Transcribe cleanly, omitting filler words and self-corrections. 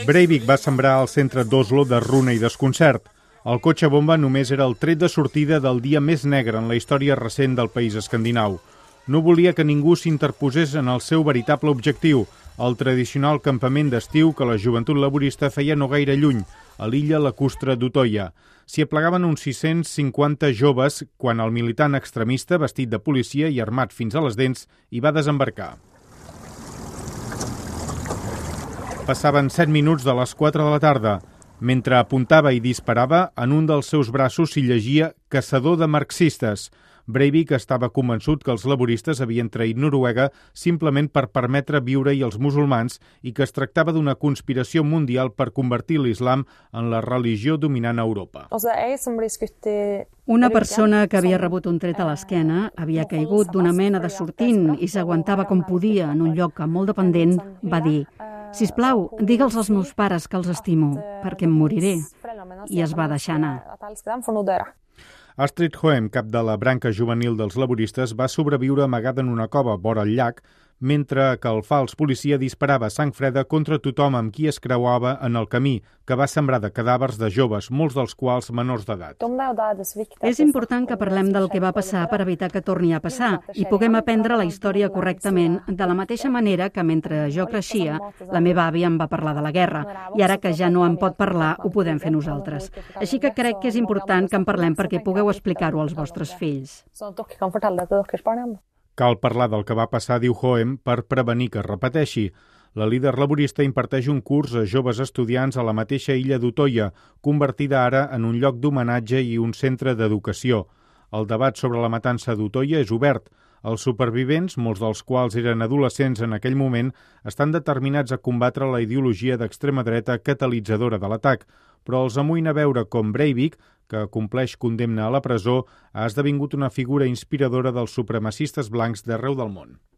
Breivik va sembrar al centre d'Oslo de runa i desconcert. El cotxe bomba només era el tret de sortida del dia més negre en la història recent del país escandinau. No volia que ningú s'interposés en el seu veritable objectiu, el tradicional campament d'estiu que la joventut laborista feia no gaire lluny, a l'illa lacustre d'Utoya. S'hi aplegaven uns 650 joves quan el militant extremista, vestit de policia i armat fins a les dents, hi va desembarcar. Passaven 7 minuts de les 4 de la tarda. Mentre apuntava i disparava, en un dels seus braços s'hi llegia «Caçador de marxistes». Breivik estava convençut que els laboristes havien traït Noruega simplement per permetre viure-hi els musulmans i que es tractava d'una conspiració mundial per convertir l'islam en la religió dominant a Europa. Una persona que havia rebut un tret a l'esquena havia caigut d'una mena de sortint i s'aguantava com podia en un lloc molt dependent, va dir: «Sisplau, digue'ls als meus pares que els estimo, perquè em moriré». I es va deixar anar. Astrid Hoem, cap de la branca juvenil dels laboristes, va sobreviure amagada en una cova vora el llac, mentre que el fals policia disparava a sang freda contra tothom amb qui es creuava en el camí, que va sembrar de cadàvers de joves, molts dels quals menors d'edat. És important que parlem del que va passar per evitar que torni a passar i puguem aprendre la història correctament, de la mateixa manera que mentre jo creixia, la meva àvia em va parlar de la guerra, i ara que ja no en pot parlar, ho podem fer nosaltres. Així que crec que és important que en parlem perquè pugueu explicar-ho als vostres fills. Cal parlar del que va passar, diu Hoem, per prevenir que es repeteixi. La líder laborista imparteix un curs a joves estudiants a la mateixa illa d'Utoya, convertida ara en un lloc d'homenatge i un centre d'educació. El debat sobre la matança d'Utoya és obert. Els supervivents, molts dels quals eren adolescents en aquell moment, estan determinats a combatre la ideologia d'extrema dreta catalitzadora de l'atac, però els amoïna veure com Breivik, que compleix condemna a la presó, ha esdevingut una figura inspiradora dels supremacistes blancs d'arreu del món.